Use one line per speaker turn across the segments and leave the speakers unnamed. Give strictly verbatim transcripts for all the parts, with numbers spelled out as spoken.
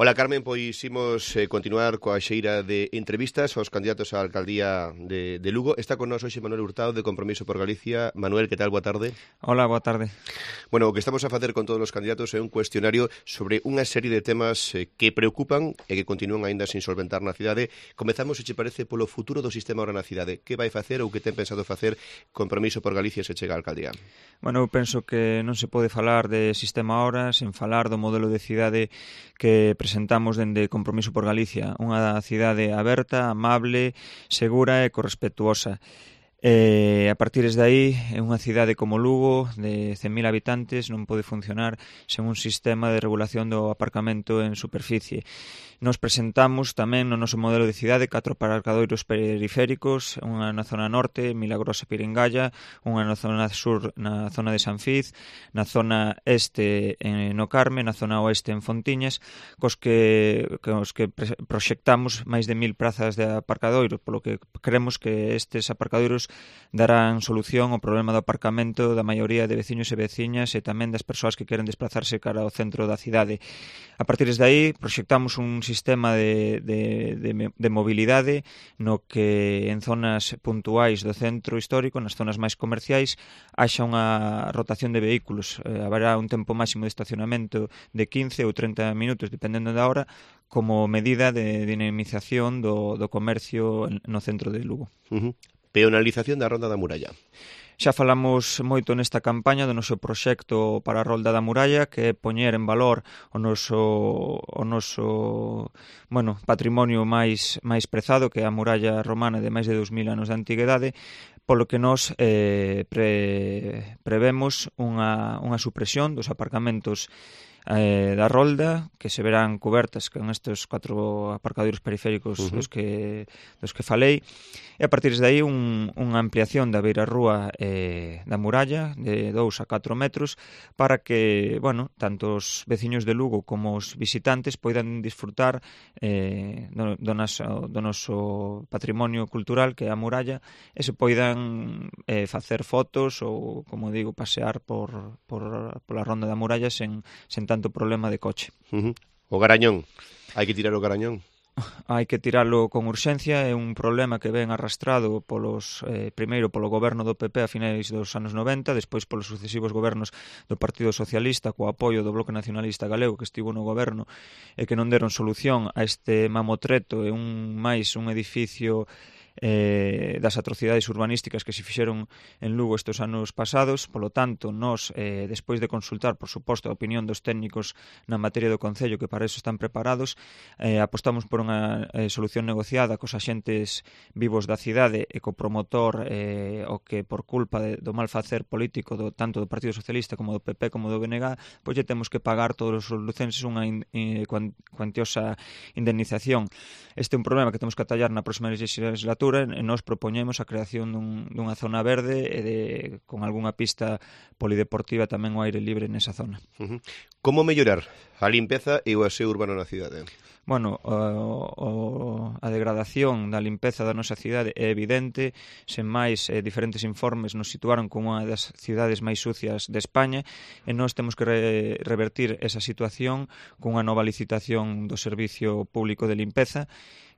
Ola, Carmen, pois imos eh, continuar coa xeira de entrevistas aos candidatos á alcaldía de, de Lugo. Está con nós hoxe Manuel Hurtado, de Compromiso por Galicia. Manuel, que tal? Boa tarde.
Hola, boa tarde.
Bueno, o que estamos a facer con todos os candidatos é un cuestionario sobre unha serie de temas eh, que preocupan e que continúan aínda sin solventar na cidade. Comezamos, se che parece, polo futuro do sistema ahora na cidade. Que vai facer ou que ten pensado facer Compromiso por Galicia se chega á alcaldía?
Bueno, eu penso que non se pode falar de sistema ahora sen falar do modelo de cidade que presentamos dende Compromiso por Galicia, unha cidade aberta, amable, segura e correspetuosa. E a partir de aí, unha cidade como Lugo, de cen mil habitantes, non pode funcionar sen un sistema de regulación do aparcamento en superficie. Nos presentamos tamén no noso modelo de cidade catro aparcadoiros periféricos, unha na zona norte, Milagrosa e Piringalla, unha na zona sur, na zona de San Fiz, na zona este no Carme, na zona oeste en Fontiñas, cos que, cos que proxectamos máis de mil prazas de aparcadoiro, polo que creemos que estes aparcadoiros darán solución ao problema do aparcamento da maioría de veciños e veciñas e tamén das persoas que queren desplazarse cara ao centro da cidade. A partir de aí, proxectamos un sistema de, de, de, de mobilidade no que en zonas puntuais do centro histórico, nas zonas máis comerciais, haxa unha rotación de vehículos. Eh, haberá un tempo máximo de estacionamento de quince ou trinta minutos, dependendo da hora, como medida de dinamización do, do comercio no centro de Lugo.
Uh-huh. Peonalización da Ronda da Muralla.
Xa falamos moito nesta campaña do noso proxecto para a Rolda da Muralla, que é poñer en valor o noso, o noso bueno, patrimonio máis, máis prezado, que é a muralla romana de máis de dous mil anos de antigüedade, polo que nos eh, pre, prevemos unha, unha supresión dos aparcamentos eh, da Rolda, que se verán cobertas con estes catro aparcadoiros periféricos uh-huh. dos que dos que falei, e a partir de aí un, unha ampliación da beirarrúa eh, da muralla de dous a catro metros para que, bueno, tanto os veciños de Lugo como os visitantes poidan disfrutar eh, do, do, noso, do noso patrimonio cultural, que é a muralla, e se poidan eh, facer fotos ou, como digo, pasear por, por, pola ronda da muralla sen, sen tanto problema de coche.
Uh-huh. O garañón. Hai que tirar o garañón?
Hai que tiralo con urxencia, é un problema que ven arrastrado polos eh, primeiro polo goberno do P P a finais dos anos noventa, despois polos sucesivos gobernos do Partido Socialista co apoio do Bloque Nacionalista Galego que estivo no goberno e que non deron solución a este mamotreto e un máis un edificio eh, das atrocidades urbanísticas que se fixeron en Lugo estes anos pasados. Polo tanto, nós, eh, despois de consultar, por suposto, a opinión dos técnicos na materia do Concello, que para eso están preparados, eh, apostamos por unha eh, solución negociada cos axentes vivos da cidade e co promotor eh, o que por culpa de, do mal facer político do, tanto do Partido Socialista como do P P como do B N G, pois lle temos que pagar todos os lucenses unha in, in, cuantiosa indemnización. Este é un problema que temos que atallar na próxima legislatura e nós propoñemos a creación dun, dunha zona verde e de, con algunha pista polideportiva tamén ao aire libre nesa zona.
Uh-huh. Como mellorar a limpeza e o aseo urbano na cidade?
Bueno, o, o, a degradación da limpeza da nosa cidade é evidente, sen máis eh, diferentes informes nos situaron como unha das cidades máis sucias de España e nós temos que re, revertir esa situación cunha nova licitación do Servicio Público de Limpeza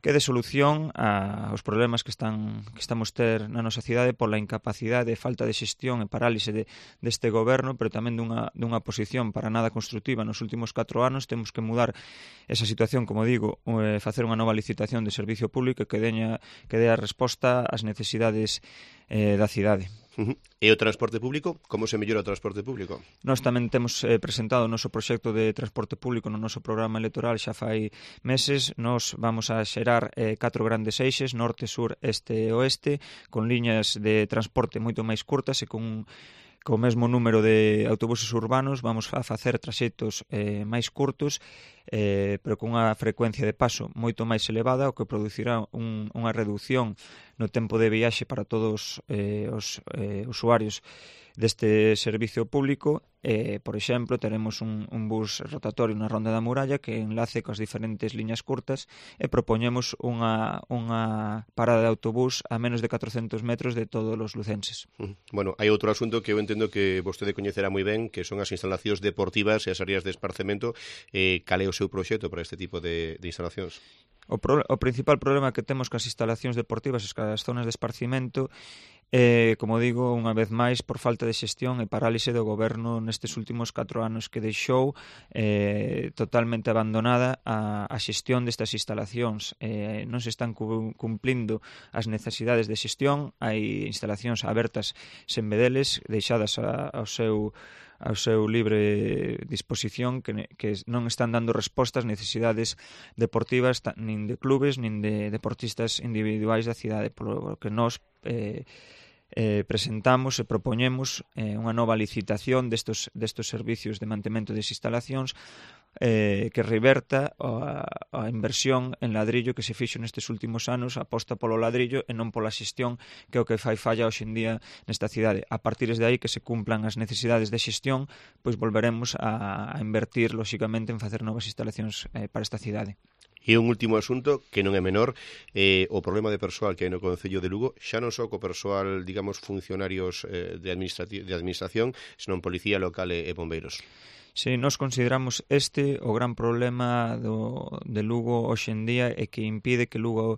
que dé solución a, aos problemas que están que estamos ter na nosa cidade pola incapacidade, falta de xestión e parálise de, deste goberno, pero tamén dunha, dunha posición para nada constructiva nos últimos catro anos. Temos que mudar esa situación, como digo, eh, facer unha nova licitación de servicio público que deña, que dé a resposta ás necesidades eh, da cidade.
Uh-huh. E o transporte público? Como se mellora o transporte público?
Nós tamén temos eh, presentado o noso proxecto de transporte público no noso programa electoral xa fai meses. Nós vamos a xerar eh, catro grandes eixes, norte, sur, este e oeste, con liñas de transporte moito máis curtas e con co mesmo número de autobuses urbanos. Vamos a facer traxectos eh, máis curtos, eh, pero con unha frecuencia de paso moito máis elevada, o que producirá un, unha reducción no tempo de viaxe para todos eh, os eh, usuarios deste servicio público. Eh, por exemplo, teremos un, un bus rotatorio na Ronda da Muralla que enlace coas diferentes liñas curtas e propoñemos unha, unha parada de autobús a menos de catrocentos metros de todos os lucenses.
Bueno, hai outro asunto que eu entendo que vostede coñecerá moi ben, que son as instalacións deportivas e as áreas de esparcemento. Eh, cal é o seu proxecto para este tipo de, de instalacións?
O, pro, o principal problema que temos cas instalacións deportivas e cas zonas de esparcimento Eh, como digo, unha vez máis, por falta de xestión e parálise do goberno nestes últimos catro anos que deixou eh, totalmente abandonada a, a xestión destas instalacións. Eh, non se están cu, cumplindo as necesidades de xestión, hai instalacións abertas sen vedeles, deixadas a, ao seu ao seu libre disposición que, que non están dando resposta ás necesidades deportivas nin de clubes nin de deportistas individuais da cidade, polo que nós eh, eh, presentamos e propoñemos eh, unha nova licitación destos, destos servicios de mantemento das instalacións eh, que reverta a, a inversión en ladrillo que se fixo nestes últimos anos, aposta polo ladrillo e non pola xestión, que é o que fai falla hoxe en día nesta cidade. A partir de aí que se cumplan as necesidades de xestión, pois volveremos a, a invertir lóxicamente en facer novas instalacións eh, para esta cidade.
E un último asunto, que non é menor, eh, o problema de persoal que hai no Concello de Lugo, xa non só co persoal, digamos, funcionarios eh, de, administrati- de administración, senón policía local e, e bombeiros.
Si, nos consideramos este o gran problema do, de Lugo hoxe en día e que impide que Lugo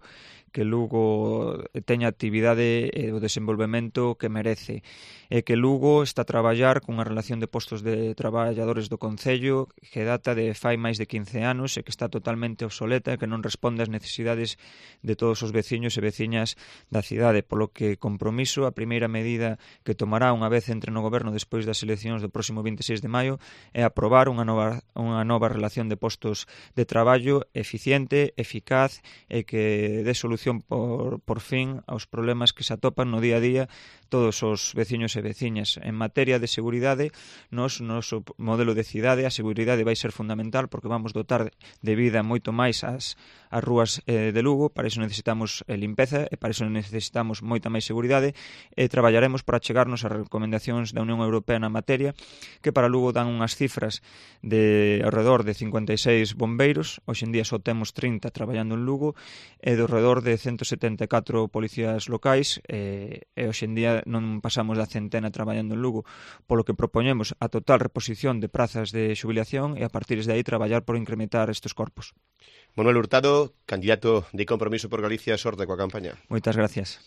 que Lugo teña actividade e o desenvolvemento que merece. E que Lugo está a traballar cunha relación de postos de traballadores do Concello que data de fai máis de quince anos e que está totalmente obsoleta e que non responde ás necesidades de todos os veciños e veciñas da cidade, polo que compromiso, a primeira medida que tomará unha vez entre no goberno despois das eleccións do próximo vinte e seis de maio é aprobar unha nova, unha nova relación de postos de traballo eficiente, eficaz e que dé solución por, por fin aos problemas que se atopan no día a día todos os veciños e veciñas. En materia de seguridade, nos, noso modelo de cidade, a seguridade vai ser fundamental porque vamos dotar de vida moito máis as, as rúas eh, de Lugo, para iso necesitamos eh, limpeza e para iso necesitamos moita máis seguridade e traballaremos para chegarnos ás recomendacións da Unión Europea na materia, que para Lugo dan unhas cifras de alrededor de cincuenta e seis bombeiros, hoxe en día só temos trinta traballando en Lugo, e de alrededor de ciento setenta e catro policías locais, e, e hoxe en día non pasamos da centena traballando en Lugo, polo que propoñemos a total reposición de prazas de xubilación e a partir de aí traballar por incrementar estes corpos.
Manuel Hurtado, candidato de Compromiso por Galicia, sorte coa campaña.
Moitas gracias.